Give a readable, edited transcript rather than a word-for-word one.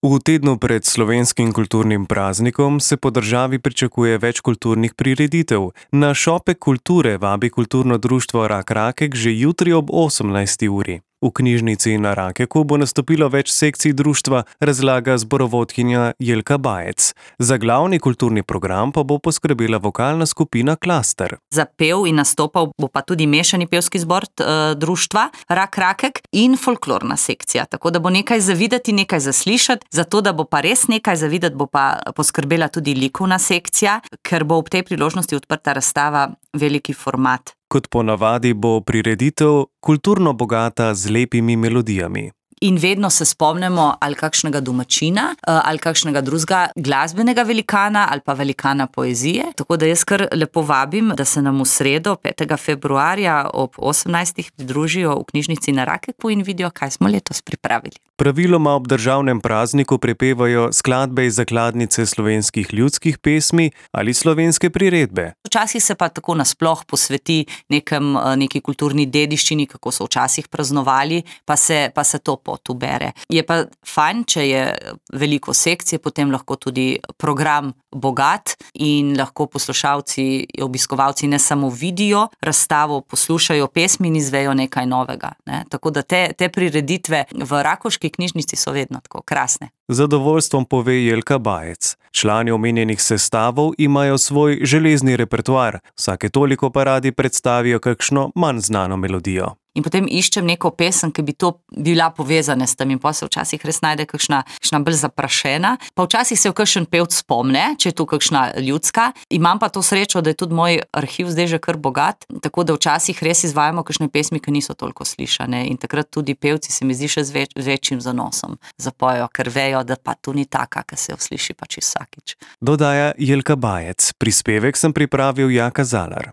V tednu pred slovenskim kulturnim praznikom se po državi pričakuje več kulturnih prireditev. Na Šopek kulture vabi kulturno društvo Rak Rakek že jutri ob 18. uri. V knjižnici na Rakeku bo nastopilo več sekcij društva, razlaga zborovodkinja Jelka Bajec. Za glavni kulturni program pa bo poskrbela vokalna skupina Klaster. Zapel in nastopal bo pa tudi mešani pevski zbor društva Rak Rakek in folklorna sekcija. Tako da bo nekaj za videti, nekaj za slišati. Zato, da bo pa res nekaj za videti, bo pa poskrbela tudi likovna sekcija, ker bo ob tej priložnosti odprta razstava Veliki format. Kot ponavadi bo prireditev kulturno bogata z lepimi melodijami. In vedno se spomnimo ali kakšnega domačina, ali kakšnega drugega glasbenega velikana ali pa velikana poezije. Tako da jaz kar lepo vabim, da se nam v sredo, 5. februarja ob 18. pridružijo v knjižnici na Rakeku in vidijo, kaj smo letos pripravili. Praviloma ob državnem prazniku prepevajo skladbe iz zakladnice slovenskih ljudskih pesmi ali slovenske priredbe. Včasih se pa tako nasploh posveti neki kulturni dediščini, kako so včasih praznovali, pa se to pot ubere. Je pa fajn, če je veliko sekcije, potem lahko tudi program bogat in lahko poslušalci, obiskovalci ne samo vidijo razstavo, poslušajo pesmi in izvejo nekaj novega. Tako da te prireditve v rakovški knjižnici so vedno tako krasne. Zadovoljstvom pove Jelka Bajec. Člani omenjenih sestavov imajo svoj železni repertoar, vsake toliko pa radi predstavijo kakšno manj znano melodijo. In potem iščem neko pesem, ki bi to bila povezana s tem in pa se včasih res najde kakšna bolj zaprašena. Pa včasih se kakšen pevc spomne, če je tu kakšna ljudska. Imam pa to srečo, da je tudi moj arhiv zdaj že kar bogat, tako da včasih res izvajamo kakšne pesmi, ki niso toliko slišane in takrat tudi pevci se mi zdi še z večjim zanosom zapojejo, ker vejo, da pa tu ni taka, ki se jo sliši pač vsakič. Dodaja Jelka Bajec. Prispevek sem pripravil Jaka Zalar.